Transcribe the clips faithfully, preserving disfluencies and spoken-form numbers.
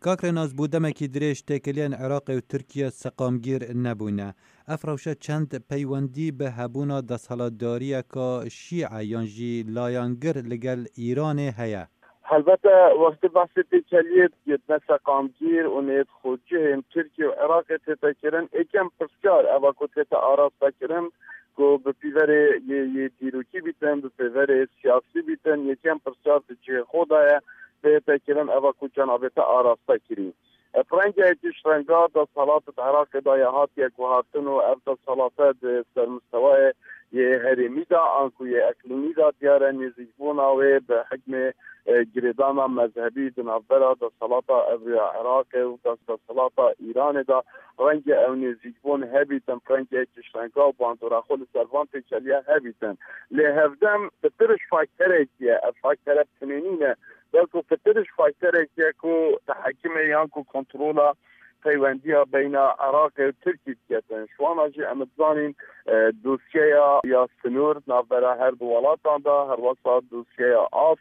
Kak Rênas, bû demekî dirêj têkiliyên Iraqê û Tirkiye seqamgîr nebûne. Ev rewşe çend peywendî bi hebûna desthilatdariyeka şîe yan jî layengir li gel Îranê heye? Helbete, wextê behsê têkeliyê dikê ne seqamgîr û nêt xwecihên Tirkiye û Iraqê tête kirin, êkem pirsyar eva ku tête araste kirin, ku bi pîverê yê, yê dîrokî bîtin, bi pîverê siyasî bîtin, yekem pirsyar di cihê xwe de ye, tête kirin eva ku cenabê te araste kirî. Bi rengekî ji renga desthilat di Iraqê de ya hatiye guhartin û ev desthilate di sermistewayê yê herêmî de anku yê eqlîmî de diyar e nêzîkbûna wê bi hikmê, e, girêdana mezhebî di navbera desthilata evro ya Iraqê û des-, desthilata Îranê de rengê ew nêzîkbûn hebîtin, rengekî ji renga û bandora xwe li ser van têkeliya hebîtin. Lê hevdem pitir ji fakterekî ye, ev faktere bi tinê nîne. Belku pitir ji fakterekî ye ku tehekimê yan ku kontrola peywendiya beyna Iraqê û Tirkî diketin. Ji wana jî em dizanîn, e, dosyeya ya sinûr navbera her du welatan de, herwesa dosyeya av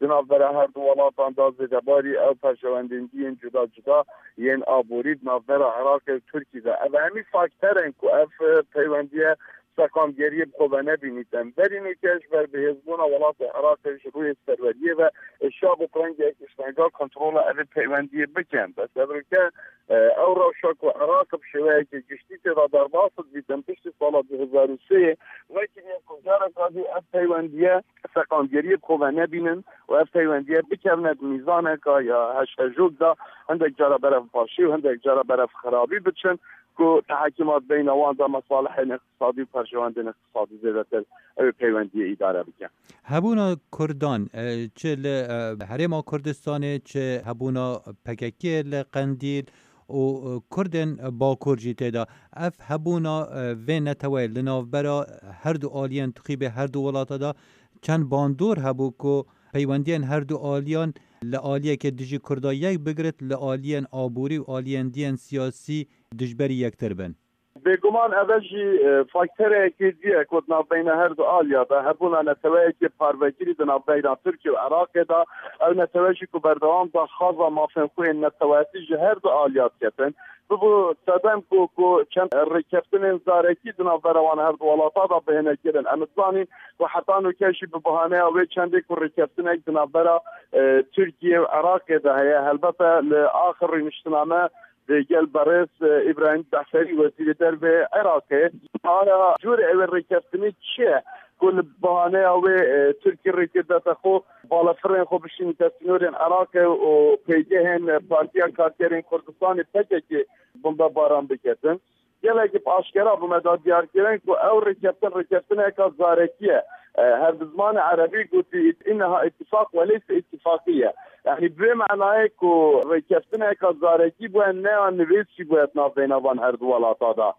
di navbera her du welatan de, zêdebarî ew perjewendendiyên cuda cuda yên aborî di navbera Iraqê û Tirkî de. Ev hemî fakter in ku ev, e, peywendiye seqamgeriyê bi xwe ve nebînîtin. Berî nûke ji ber bihêzbûna welatê Iraqê ji rûyê serweriyê ve, e, şa bû rengek ji renga kontrola evê peywendiyê bikin. Bes ev rûke, e, ew rewşa ku Iraq bi şêweyeke giştî tê de derbas dibîtin piştî sala du hezar û sê yê, wekî yê ku careka dî ev peywendiye seqamgeriyê bi xwe ve nebînin û ev peywendiye bikevne di mîzaneka ya heşhejok de, hindek cara berev başî û hindek cara berev xirabî biçin. Ku tehekimat beyna wan de mesalihên iqtisadî û perjewendên iqtisadî zêdetir ew ê peywendiyê îdare bike. Hebûna Kurdan, e, çi li, e, Herêma Kurdistanê, çi hebûna P K K li Qendîl û, e, Kurdên Bakur jî tê de. Ev hebûna, e, vê neteweyê li navbera her du aliyên tixîbê her du welata de çend bandor hebû ku peywendiyên her du aliyan li aliyekê dijî Kurda yek bigirit, li aliyên aborî û aliyên diyên siyasî dijberî yektir bin. Bêguman ev e jî, e, faktereke dî ye ku di navbeyna her du aliya de hebûna neteweyekê parvekirî di navbeyna Tirkiye û Iraqê de, ew netewe jî ku berdewam daxwaza mafên xwe yên neteweyatî ji her du aliya diketin. Bibû sedem ku, ku çend rêkeftinên zarekî di navbera wan her du welata de bihêne kirin. Em dizanîn ku heta nûke jî bi bahaneya wê çendê ku rêkeftinek di navbera, e, Tirkiye û Iraqê de heye. Helbete li axir rûniştina me digel berêz, e, Îbrahîm Cefferî, Wezîrê Dervê Iraqê. Aya cûrê ew ê rêkeftinê çi ye ku li bahaneya wê, e, Tirkî rêkê dete xwe, balefirên xwe bişînîte sînorên Iraqê û pêgehên, e, Partiya Karkerên Kurdistanê P K K bombebaran biketin? Gelekî bi aşkera bi me da diyar kirin ku ew rêkeftin rêkeftineka zarekî ye. E, her bi zimanê erebî gotî, "Înneha îtîfaq weleyse îtîfaqî ye." Yanî bi vê manayê ku rêkeftineka zarekî bûye, ne ya nivîs jî bûye di navbeyna van her du welata de.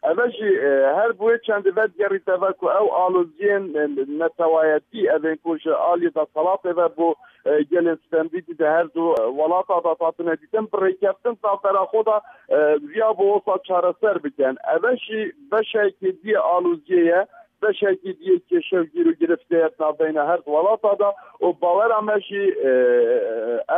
Ev e jî, e, her bi wê çendê vedigerîte ve ku ew aloziyên, e, netewayetî, evên ku ji aliyê desthilatê ve bo, e, gelên stemdîtî di her du, e, welata de hatine dîtin, bi rêkeftin di navbera xwe de, e, viya bo wisa çareser bikin. Ev e jî beşekê dî yê aloziyê ye, beşekê dî yê kêşe û gîr û girifte ye di navbeyna her du welata de û bawera me jî, e,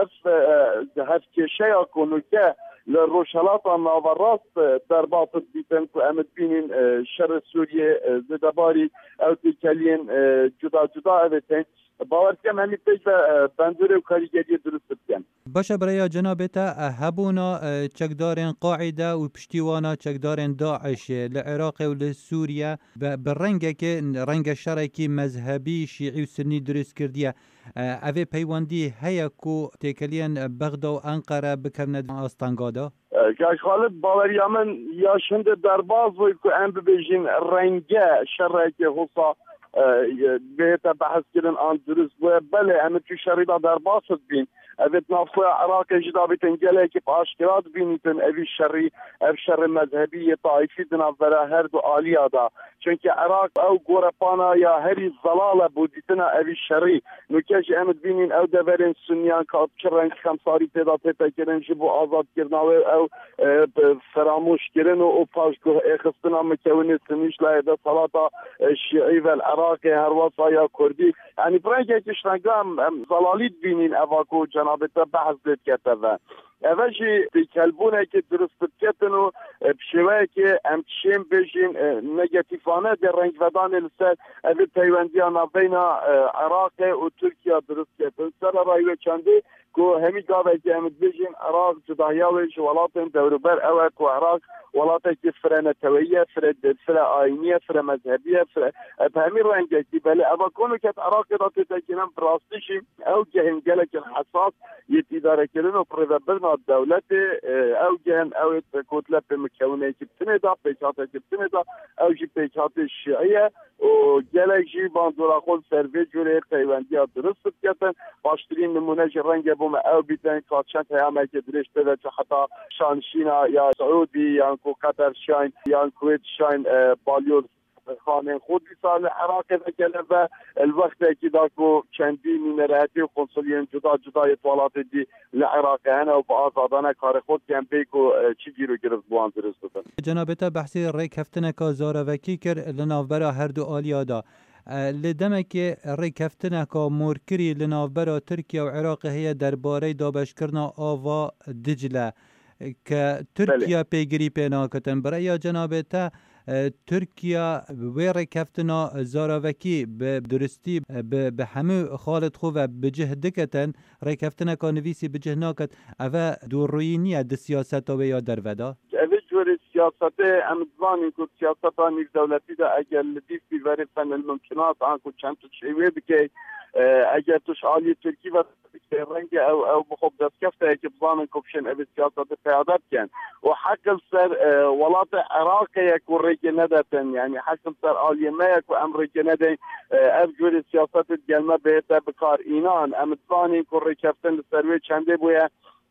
ev, e, hevkêşeya ku nûke li Rojhelata Naverast, e, derbas dibîtin ku em dibînin, e, şerê Sûriyê, e, zêdebarî ew têkeliyên, e, cuda cuda ev ê tên. Bawer dikim em ê pêş ve, e, bandorê û karîgeriyê dirust bikin. Baş e, bi rêya cenabê te, e, hebûna, e, çekdarên Qaîde û piştî wana çekdarên DAIŞê li Iraqê û li Sûriye bi, bi rengekê, renge şerekî mezhebî, şîî û sunî dirust kirdiye. E, ev ê peywendî heye ku têkeliyên Bexda û Enqere bikevne di astengada? E, Kak Xalid, baweriya min ya ji hindê derbas bû ku em bibêjin renge şereke hosa, e, bihête behs kirin an dirust bûye. Belê, em tu şerî de derbas dibîn. Ev ê di navxweya Iraqê jî dabîtin gelekî bi aşkera dibînîtin evî şerî, ev şerê mezhebî yê taîfî di navbera her du aliya de. Çunkî Iraq ew gorepana ya herî zelal e bo dîtina evî şerî. Nûke jî em dibînîn ew deverên suniyan ka bi çi reng xemsarî tê de tête kirin ji bo azadkirina wê, ew, e, bi feramoş kirin û, û paşguh êxistina mikewinê sunî ji layê desthelata, e, şîî ve li Iraqê, herwesa ya kurdî. Yanî bi rengekî ji renga em, em zelalî dibînîn eva ku Nabê te behs lê dike te ve. Eve jî têkelbûnekê dirust diketin û, e, bi şêweyekê em dişên bêjin, e, negatîfane dê rengvedanê li ser evê peywendiya navbeyna, e, Iraqê û Tirkiye dirust ketin. Sererayî wê çendê ku hemî gavekê em dibêjin Iraq cudahiya wê ji welatên dewrûber ew e ku Iraq welatekî fire neteweyî ye, fire, fire ayînî ye, fire mezhebî ye, fire, e, bi hemî rengekî. Belê eva konûket Iraqê de têde kirin, bi rastî jî ew gehên gelekî hesas yê îdarekirin û birêvebirina dewletê, e, ew gehên ew ê kotlê pêmikewineyekî bi tinê de, pêkhatekî bi tinê de, ew jî pêkhatê şiî ye. Û gelek jî bandora xwe li ser vê cûrê peywendiya dirust diketin. Baştirîn nimûne jî renge bo me ew bîtin, ka çend heyameke dirêj tê de çû heta şanişîna ya Siûdî yan ku Qeter şayn yan Kuwêt şayn, e, balyoz xanên xwe dîsa li Iraqê vekene ve, li wextekî da ku çendî nûnerehetî û konsuliyên cuda cuda yê welatê dî li Iraqê hene û bi azadane karê xwe dikin bê ku, e, çi gîr û girist bi wan dirust bibin. Cenabê te behsê rêkeftineka zaravekî kir li navbera her du aliya de. E, lê demekê rêkeftineka morkirî li navbera Tirkiye û Iraqê heye derbarey dabeşkirina ava Dicle, ke Tirkiye pêgirî pê nakitin. Bi reya cenabê te, e, Tirkiye wê rêkeftina zaravekî bi duristî, e, bi, bi hemû xalê xwe ve bi cih diketin, rêkeftineka nivîsî bi cih naket. Eve dûrûyî niye di siyaseta wê ya derve de? Evê cûrê siyasetê em dizanin ku siyaseta nîvdewletî de eger li dîf bî verê fenil mumkinat an ku çend tu şêwê bikey, e, eger tu ji aliyê Tirkî ve bikey, renge ew, ew bi xwe bi destkefteyekê bizanin ku bişên evê siyasetê peyade bikin. Û heq li ser, e, welatê Iraqê ye ku rêkê nedetin, yanî heq li ser aliyê me ye ku em rêkê nedin, e, ev cûrê siyasetê digel me bihête bikar. Înan em dizanin ku rêkeftin li ser wê çendê bûye,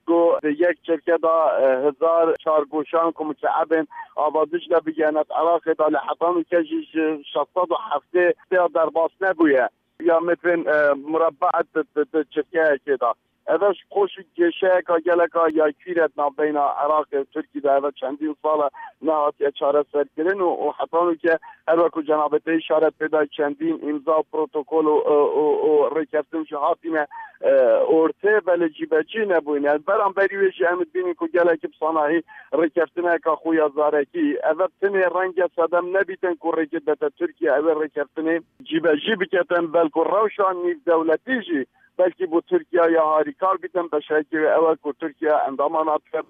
ku di yek çirke de, e, hezar çargoşan ku muteebên ava Dicle bigihêne Iraqê de, lê heta nûke jî ji şeş sed û heftê ya derbas nebûye. Ya metrên, e, murebba di, di, di çirkeyekê de. Eve ji xwe jî kêşeyeka geleka ya kûr e di navbeyna Iraqê û Tirkî de. Eve çendîn sal e nehatiye çareserkirin û, û heta nûke her wekî cenabê te îşaret pê da çendîn îmza û protokol û, û, û, û rêkeftin jî hatine, e, ortê, belê cîbecî nebûyne. Beramberî wê jî em dibînin ku gelekî bi sanahî rêkeftineka xwe ya zarekî, eve tenê renge sedem nebîtin ku rêkê bete Tirkiye, ew ê rêkeftinê cîbecî biketin, belku rewşa nîvdewletî jî belkî bo Tirkiye ya harîkar bîtin. Beşayekî wê ew e ku Tirkiye endama NATO ye,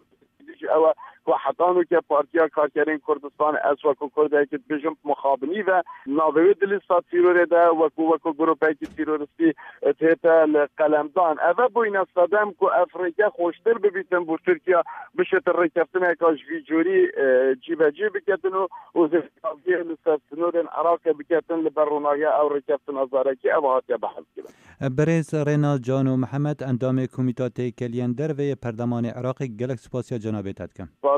jî ew e ku heta nûke Partiya Karkerên Kurdistan, ez wekû Kurdekî dibêjim, mixabinî ve navê wê di lîsta tîrorê de wekû, wekû grûpekî tîroristî dihête li qelemdan. Eve bûyne sedem ku ev rêke xweştir bibîtin bo Tirkiye bişêtin rêkeftineka ji vî cûrî, e, cîbecî biketin û, û zêdaviyê li ser sinorên Iraqê biketin li ber ronahiya ew rêkeftina zarekî ev hatiye behs kirin. Birêz Rêna Cano Mihemed, endamê Komîta Têkeliyên Derve yê Perlemanê Iraqê, gelek spasiya cenabê te dikim. Spas